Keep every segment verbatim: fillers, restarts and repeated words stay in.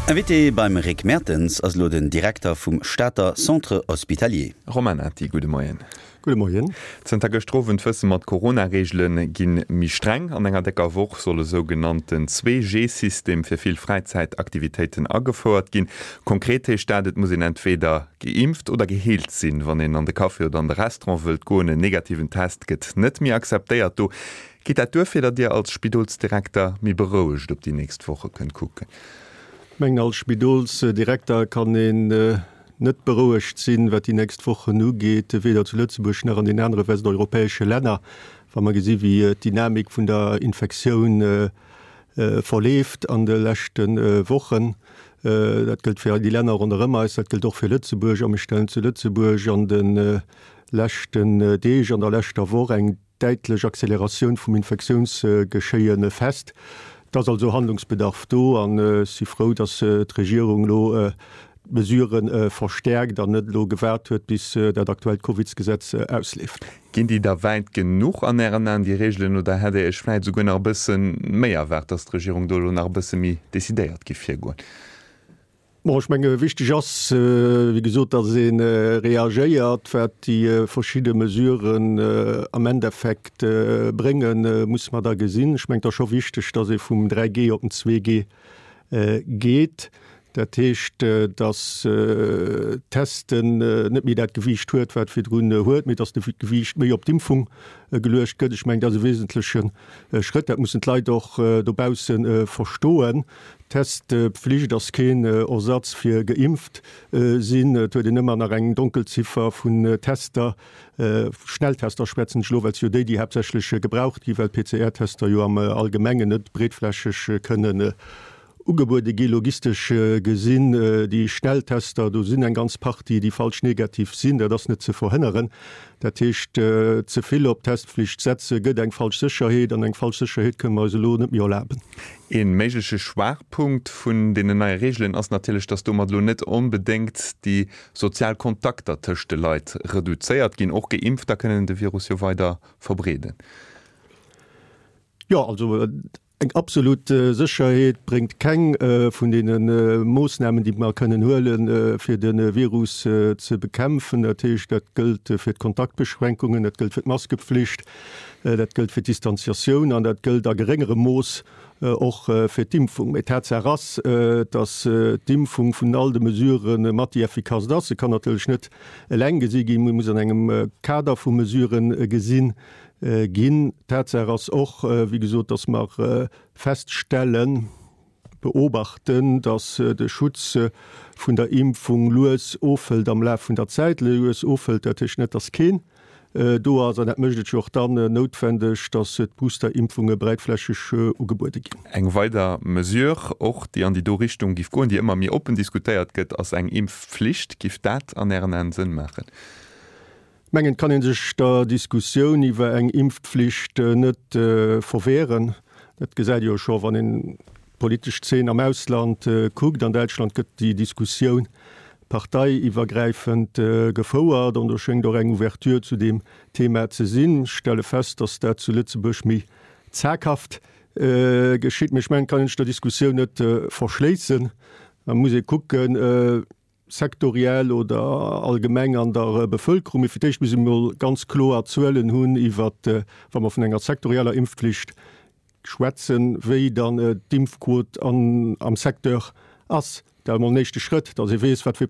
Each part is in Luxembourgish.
Invité beim Rick Mertens ass elo den Direkter vum Stater Centre Hospitalier. Romain Nati, gudde Moien. Gudde Moien. Zënter gëschter Owend wësse mer, d'Corona-Reegele gi méi streng. An enger décker Woch soll e sougenannten Zwee-G-System fir vill Fräizäitaktivitéiten agefouert ginn. Konkret heescht dat, et muss een entweeder geimpft oder geheelt sinn, wann een an de Café oder an de Restaurant wëllt goen. En negativen Test gëtt net méi akzeptéiert. Do geet dat duer, fir datt Dir als Spidolsdirekter méi berouegt op déi nächst Woche kënnt kucken? Ech mengen, als Spidolsdirekter kann een net berouegt sinn, wat déi nächst Wochen ugeet, weder zu Lëtzebuerg nach an den anere westeuropäesche Länner, wa mer gesi wéi d'Dynamik vun der Infektioun verleeft an de leschte Wochen. Dat gëllt fir déi Länner ronderëm eis, dat gëllt och fir Lëtzebuerg. A mir stellen zu Lëtzebuerg an de leschten Deeg, an der leschter Woch eng däitlech Acceleratioun vum Infektiounsgeschéie fest. Et ass also Handlungsbedarf do an ech si frou, datt d'Regierung elo d'Mesurë verstäerkt an net elo gewaart huet, bis dat aktuellt Covidsgesetz ausleeft. Ginn déi da wäit genuch an Ären Aen, déi Reegelen, oder hätt Dir Iech vläicht esouguer nach e bësse méi erwaart, datt d'Regierung do elo nach e bësse méi decidéiert géif virgoen? Bon, ech menge wichteg ass, wéi gesot, datt ee reagéiert. Wat déi verschidde Mesuren am Endeffekt bréngen, musse mer da gesinn. Ech mengen, et ass scho wichteg, datt ee vum dräi G op den zwee G geet. Dat heescht, datt d'Testen net méi dat Gewiicht huet, wat virdrun huet, mee datt de Gewiicht méi op d'Impfung geluecht gëtt. Ech mengen, dat ass e wesentleche Schrëtt. Dat mussen d'Leit och dobausse verstoen. D'Testpflicht ass keen Ersatz fir geimpft sinn. Et huet een ëmmer nach eng Donkelziffer vun Tester, Schnelltester schwätzen ech elo, well et si jo déi, déi haaptsächlech gebraucht ginn, well d'P C R-Tester jo am Allgemengen net breetflächeg kënnen ugebuede gi logistesch gesinn. Déi Schnelltester, do sinn eng ganz Partie, déi falsch negativ sinn, dat ass net ze verhënneren. Dat heescht, ze vill op d'Testpflicht setze gëtt eng falsch Sécherheet, an eng falsch Sécherheet kënne mer eis elo net méi erlaben. Ee méigleche Schwaachpunkt vun deenen neie Reegelen ass natierlech, datt domat elo net onbedéngt déi sozial Kontakter tëscht de Leit reduzéiert ginn. Och Geimpfter kënnen de Virus jo weider verbreeden. Jo, also eng absolut Sécherheet bréngt keng vun deene Moossnamen, déi mer kënnen huelen, fir de Virus ze bekämpfen. Dat heescht, dat gëllt fir d'Kontaktbeschränkungen, dat gëllt fir d'Maskepflicht, dat gëllt fir d'Distanziatioun an dat gëllt a geréngerem Mooss och fir d'Impfung. Mee Tatsaach ass, datt d'Impfung vun all de Mesurë mat déi effikasst ass. Se kann natierlech net eleng gesi ginn, mee muss an engem Kader vu Mesurë gesinn ginn. Tatsaach ass och, wéi gesot, datt mer feststellen, beobachten, datt de Schutz vun der Impfung lues ofhëlt am Laf vun der Zäit. Lues ofhëlt, dat heescht net, datt keen do ass. An dat mécht et jo och dann noutwendeg, datt d'Boosterimpfunge breitflächeg ugebuede ginn. Eng weider Mesure och, déi an déi do Richtung giff goen, déi ëmmer méi oppen diskutéiert gëtt, ass eng Impfflicht. Giff dat an Ären Aen Sënn maachen? Mengen, et kann ee sech der Diskussioun iwwer eng Impfpflicht net verweeren. Dat gesäit ee jo scho, wann een d'politesch Zeen am Ausland kuckt. An Däitschland gëtt déi Diskussioun parteiiwwergräifend gefouert an do schéngt och eng Ouverture zu deem Thema ze sinn. Ech stelle fest, datt dat zu Lëtzebuerg méi zaghaft geschitt. Mee ech mengen, et kann een sech der Diskussioun net verschléissen. Da muss ee kucken, sektoriell oder allgemeng an der Bevëlkerung. Mee fir d'éischt muss ee mol ganz kloer Zuelen hunn iwwert, wa mer vun enger sektorieller Impfpflicht schwätzen, wéi dann d'Impfquot am Secteur ass. Dat ass emol en éischte Schrëtt, datt ee weess, wat fir,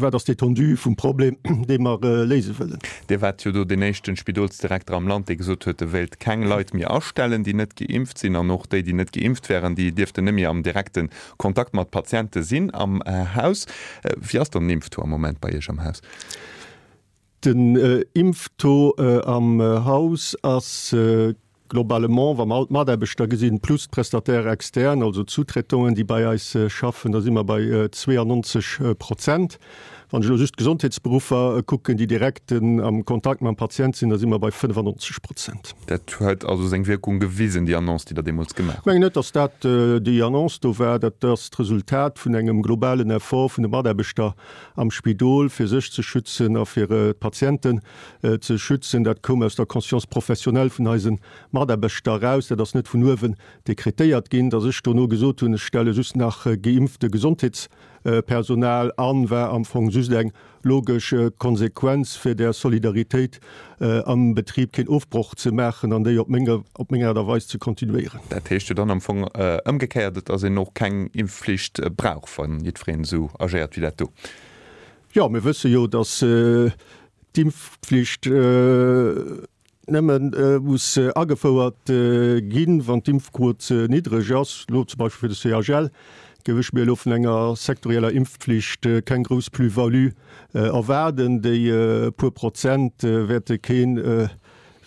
wat ass d'Étendue vum Problem, dee mer léise wëllen. Dir waart jo do deen éischten Spidolsdirekter am Land, dee gesot huet, e wéilt keng Leit méi astellen, déi net geimpft sinn, an och déi, déi net geimpft wären, déi dierften net méi am direkte Kontakt mat Patiente sinn am Haus. Wéi ass dann den Impftaux am Moment bei Iech am Haus? Den Impftaux am Haus ass globalement, wa mer all d'Mataarbechter gesinn, plus d'Prestataires externes, also d'Sous-traitanten, déi bei eis schaffen, da si mer bei zweeanonzeg Prozent. Wann ech elo just d'Gesondheetsberuffer kucken, déi direkt am Kontakt mam Patient sinn, da si mer bei fënnefannonzeg Prozent. Dat huet also seng Wierkung gewisen, déi Annonce, déi Der deemools gemaach hutt? Ech mengen net, datt dat déi Annonce do war. Dat ass d'Resultat vun engem globalen Effort vun de Mataarbechter am Spidol, fir sech ze schützen a fir d'Patienten ze schützen. Dat koum aus der Conscience professionnelle vun eise Mataarbechter eraus. Dat ass net vun uewen dekretéiert ginn. Datt ech dono gesot hunn, ech stelle just nach geimpfte Gesondheetspersonal an, war am Fong just eng logesch Konsequenz, fir där Solidaritéit am Betrib keen Ofbroch ze maachen an déi op meng op meng Aart a Weis ze kontinuéieren. Dat heescht jo dann am Fong ëmgekéiert, et ass een och keng Impfflicht brauch, wa jiddwereen esou agéiert wéi dat do. Jo, mir wësse jo, datt d'Impfflicht nëmme muss agefouert ginn, wann d'Impfquot ze niddreg ass. Elo zum Beispill fir de C H L géif ech mir elo vun enger sektorieller Impfpflicht keng grouss Plus-value erwaarden. Déi puer Prozent wäerte kee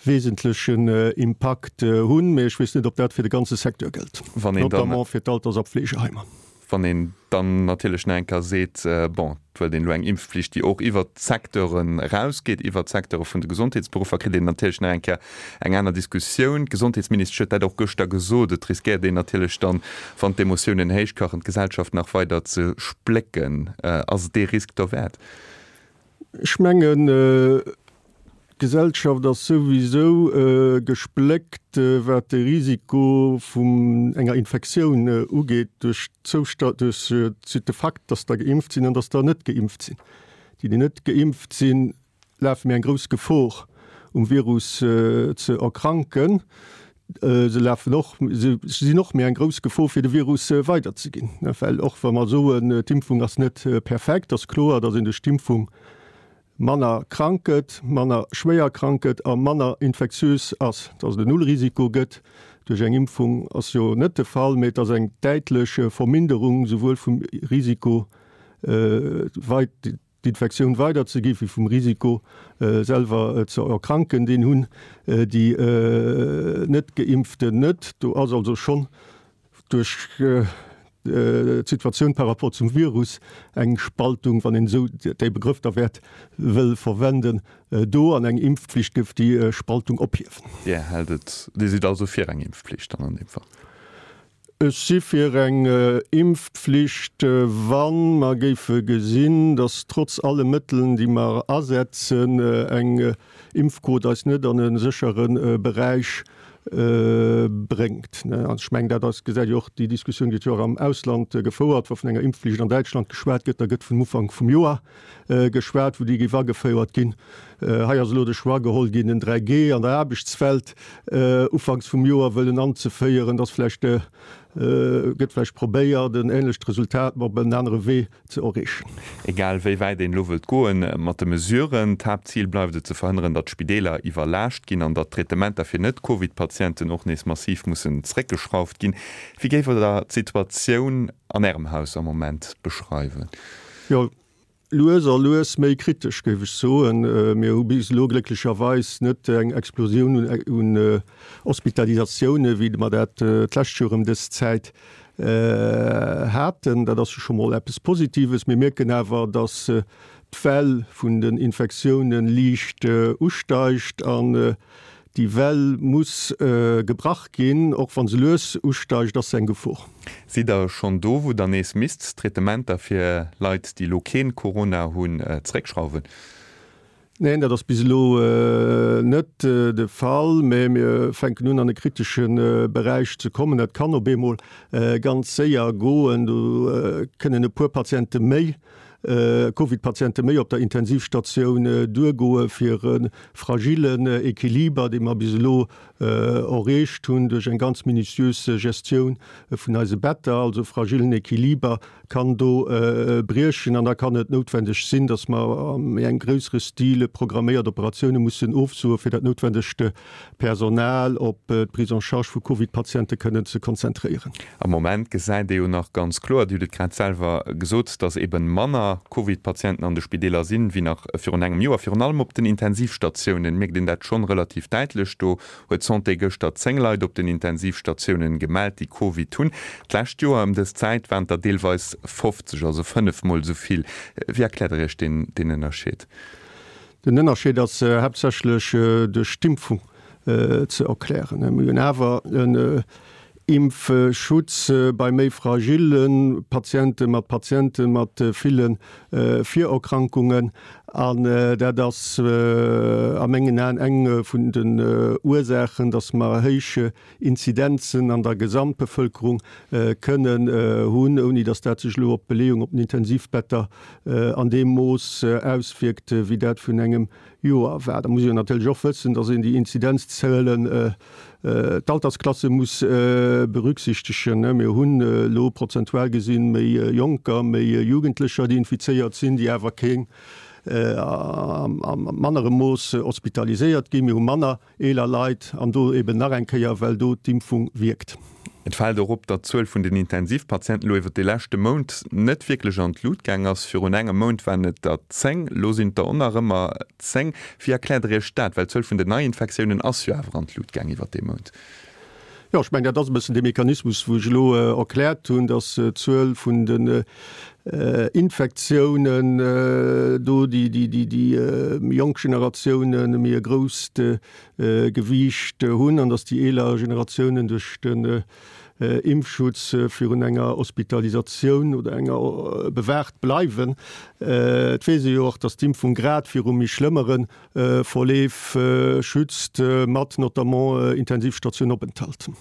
wesentlechen Impakt hunn, mee ech weess net, ob dat fir de ganze Secteur gëllt, notamment fir d'Alters a Pflegeheimer. Wann een dann natierlech nach eng Kéier seet, bon, et wëllt een elo eng Impfpflicht, déi och iwwert d'Secteuren erausgeet, iwwert d'Secteure vun de Gesondheetsberuffer, kritt een natierlech nach eng Kéier eng aner Diskussioun. D'Gesondheetsministesch huet dat och gëschter gesot, et riskéiert een natierlech dann, wann d'Emotiounen héichkachen, d'Gesellschaft nach weider ze splécken. Ass et dee Risk derwäert? Ech mengen, D'Gesellschaft ass souwisou gespléckt, wat de Risiko vun enger Infektioun ugeet, duerch de Fakt, datt der geimpft sinn an datt der net geimpft sinn. Déi, déi net geimpft sinn, lafe méi eng grouss Gefor, um Virus ze erkranken. Se lafen och, se sinn och méi eng grouss Gefor, fir de Virus weiderzeginn. Well och wa mer soen, d'Impfung ass net perfekt, ass kloer, datt een duerch d'Impfung manner krank gëtt, manner schwéier krank gëtt a manner infektiös ass. Dass et en Nullrisiko gëtt duerch eng Impfung ass jo net de Fall, mee et ass eng däitlech Verminderung souwuel vum Risiko, d'Infektioun weiderzeginn, wéi vum Risiko, selwer ze erkranken. Deen hunn déi Net-Geimpften net. Do ass also schonn duerch d'Situatioun par rapport zum Virus eng Spaltung, wann een esou dee Begrëff da wäert wëll verwenden, do. An eng Impfpflicht géif déi Spaltung ophiewen. Dir hält et, Dir sidd also fir eng Impfpflicht dann an deem Fall? Ech si fir eng Impfpflicht, wa mer géife gesinn, datt trotz alle Mëttelen, déi mer asetzen, eng Impfquot eis net an e séchere Beräich bréngt. An ech mengen, dat ass, gesäit jo och, déi Diskussioun gëtt jo och am Ausland gefouert, wa vun enger Impfflicht an Däitschland geschwat gëtt, da gëtt vun Ufank vum Joer geschwat, wou déi géif agefouert ginn. Hei ass elo de Choix geholl ginn, en dräi G an der Aarbechtswelt ufanks vum Joer wëllen anzeféieren. Dat ass vläicht, gëtt vläicht probéiert, en ähnlecht Resultat, ma op en anere Wee ze erreechen. Egal wéi wäit een elo wëllt goen mat de Mesuren, d'Haaptzil bleift et ze verhënneren, datt d'Spideeler iwwerlaascht ginn an datt d'Traitementer fir Net-Covid-Patienten och nees massiv mussen zréckgeschrauft ginn. Wéi géift Der d'Situatioun an Ärem Haus am Moment beschreiwen? Jo, lues a lues méi kritesch, géif ech soen. Mir hu bis elo glécklecherweis net eng Explosioun un Hospitalisatioune wéi mer dat d'lescht Joer ëm dës Zäit haten. Dat ass jo scho mol eppes Positives. Mir mierken awer, datt d'Well vun den Infektioune liicht usteigt an déi Well muss gebrach ginn. Och wa se lues usteigt, ass se eng Gefor. Sidd Der schonn do, wou Der nees misst d'Traitementer fir Leit, déi elo kee Corona hunn, zeréckschrauwen? Neen, dat ass bis elo net de Fall, mä mir fänken un an e kritesche Beräich ze kommen. Dat kann op eemol ganz séier goen. Do kënnen e puer Patiente méi, Covid-Patiente méi op der Intensivstatioun duergoe fir e fragillen Equiliber, dee mer bis elo erreecht hunn duerch eng ganz minutiös Gestioun vun eise Better, also fragillen Equiliber kann do briechen an da kann et noutwendeg sinn, dass mer am méi engem gréissere Stil programméiert Operatioune mussen ofsoe fir dat noutwendegt Personal op d'Prise en charge vu Covid-Patiente kënnen ze konzentréieren. Am Moment gesäit ee jo nach ganz kloer, Dir hutt et grad selwer gesot, dass eben manner manner Covid-Patienten an de Spideeler sinn, wéi nach virun engem Joer. Virun allem op den Intensivstatiounen mierkt een dat schonn relativ däitlech. Do huet d'Santé gëschter zéng Leit op den Intensivstatiounen gemellt, déi Covid hunn. D'lescht Joer ëm dës Zäit waren et der deelweis fofzeg, also fënnef Mol esou vill. Wéi erkläert Der Iech deen Ënnerscheed? Den Ënnerscheed ass haaptsächlech duerch d'Impfung ze erklären. Mir hunn awer en Impfschutz bei méi fragille Patienten, mat Patiente mat ville Virerkrankungen. An dat ass a mengen Aen eng vun den Ursaachen, datt mer héich Inzidenzen an der Gesamtbevëlkerung kënnen hunn, ouni datt dat sech elo op d'Beleeung op den Intensivbetter an deem Mooss auswierkt, wéi dat vun engem Joer war. Da muss een natierlech och wëssen, datt een déi Inzidenzzuelen, d'Altersklasse muss berücksichtegen. Mir hunn elo prozentual gesinn méi Jonker, méi Jugendlecher, déi infizéiert sinn, déi awer keng a mannerem Mooss hospitaliséiert ginn. Mir hu manner eeler Leit an do eben nach eng Kéier, well do d'Impfung wierkt. Et fält och op, datt d'Zuel vun den Intensivpatienten elo iwwer de leschte Mount net wierklech an d'Lut gaang ass. Virun engem Mount waren et der zéng, elo sinn et der och nach ëmmer zéng. Wéi erkläert Der Iech dat? Well d'Zuel vun den Neiinfektiounen ass jo awer an d'Lut gaang iwwer dee Mount. Jo, ech mengen, dat ass e bëssen dee Mechanismus, wou ech elo erkläert hunn, datt d'Zuel vun den Infektiounen do déi méi jonk Generatiounen méi e grousst Gewiicht hunn an datt déi eeler Generatiounen duerch den Impfschutz virun enger Hospitalisatioun oder enger bewaacht bleiwen. Et weess ee jo och, datt d'Impfung grad viru méi schlëmmere Verleef schützt, mat notamment Intensivstationopenthalt.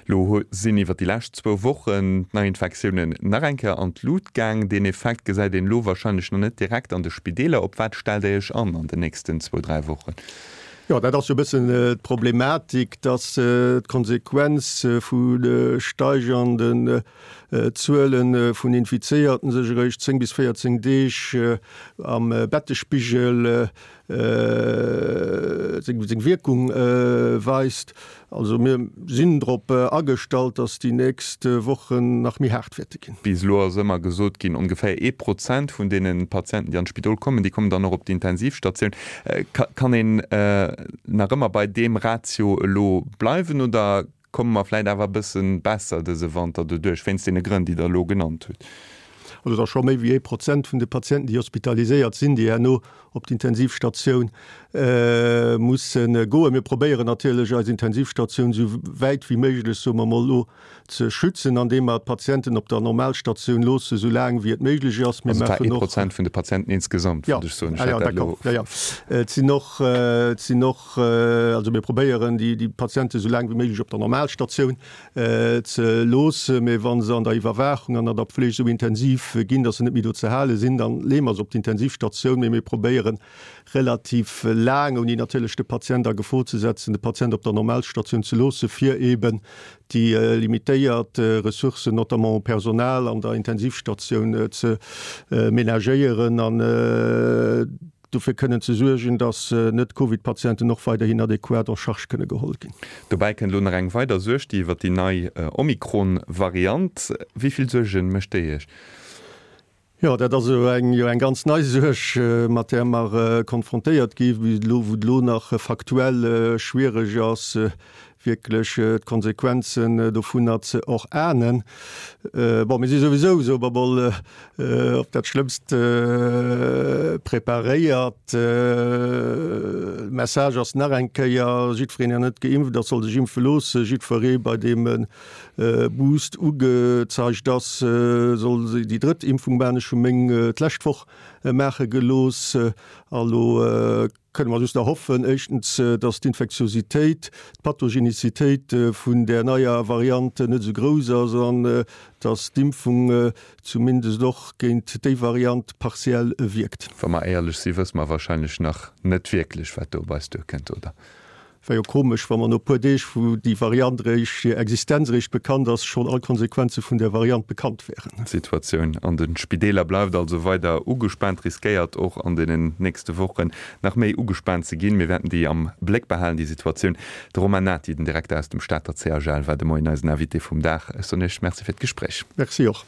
Lo sinn iwwer déi lescht zwou Wochen d'Neiinfektiounen nach eng Kéier an d'Lut gaang. Deen Effekt gesäit een elo warscheinlech nach net direkt an de Spideeler. Op wat stellt Der Iech an an den nächsten zwou, dräi Wochen? Jo, dat ass jo e bëssen d'Problematik, dass d'Konsequenz vu de steigernden Zuele vun Infizéierten sech eréischt zéng bis véierzéng Deeg am Bettespigel seng Wierkung weist. Also mir sinn drop agestallt, dass déi nächst Wochen nach méi haart wäerte ginn. Bis elo ass ëmmer gesot ginn, ongeféier ee Prozent vun deene Patienten, déi an d'Spidol kommen, déi kommen dann och op d'Intensivstatioun. Kann een nach ëmmer bei deem Ratio elo bleiwen oder komme mer vläicht awer e bësse besser dëse Wanter doduerch, wéinst deene Grënn, déi Der elo genannt hutt? Also et ass scho méi wéi ee Prozent vun de Patienten, déi hospitaliséiert sinn, déi herno op d'Intensivstatioun musse goen. Mir probéieren natierlech, eis Intensivstatioun esou wäit wéi méiglech, soe mer emol elo, ze schützen, andeem mer d'Patienten op der Normalstatioun loosse sou laang wéi et méiglech ass. Mir Also et war maachen ee och. Prozent vun de Patienten insgesamt, wollt ech soen. Ech hat dat elo. Jo, jo. Et sinn och, et sinn och, also mir probéieren, déi, déi Patiente sou laang wéi méiglech op der Normalstatioun ze loossen, mee wa se an der Iwwerwaachung an an der Pfleg esou intensiv ginn, datt se net méi do ze hale sinn, dann leeë mer se op d'Intensivstatioun. Mee mir probéieren relativ laang, ouni natierlech de Patient a Gefor ze setzen, de Patient op der Normalstatioun ze loossen, fir eeben déi limitéiert Ressourcen, notamment u Personal an der Intensivstatioun, ze menagéieren an dofir kënnen ze suergen, dass Net-Covid-Patienten och weiderhin adequat en charge kënne geholl ginn. Dobäi kënnt elo nach eng weider Suerg, déi iwwer déi nei Omikron-Variant. Wéi vill Suerge mécht déi Iech? Jo, dat ass elo eng, jo eng ganz nei Suerg, mat där mer konfrontéiert gi elo, wou et elo nach faktuell schwiereg ass, wierklech d'Konsequenzen dovunner ze erahnen. Bon, mir si souwisou, soe mer mol, op dat Schlëmmst preparéiert. Message ass nach eng Kéier, Jiddwereen, deen net geimpft ass, soll sech impfe loossen. Jiddweree, bei deem e Boost ugezeigt ass, soll déi drëtt Impfung maachen. Ech hu meng d'lescht Woch maache gelooss. A lo kënne mer just nach hoffen, éischtens, datt d'Infektiositéit, d'Pathogenicitéit vun där neier Variant net esou grouss ass an datt d'Impfung zumindest och géint déi Variant partiell wierkt. Wa mer éierlech sinn, wësse mer wahrscheinlech nach net wierklech, wat do op eis duerkënnt, oder? Wär jo komesch, wa mer no e puer Deeg, wou déi Variant eréischt, hir Existenz eréischt bekannt ass, schonn all Konsequenze vun där Variant bekannt wären. D'Situatioun an de Spideeler bleift also weider ugespaant, riskéiert och an deenen nächste Wochen nach méi ugespaant ze ginn. Mir wäerten déi am Bléck behalen, déi Situatioun. De Romain Nati, den Direkter aus dem Stater C H L, war de Moien eisen Invité vum Dag. Ech soen Iech Merci fir d'Gespréich. Merci och.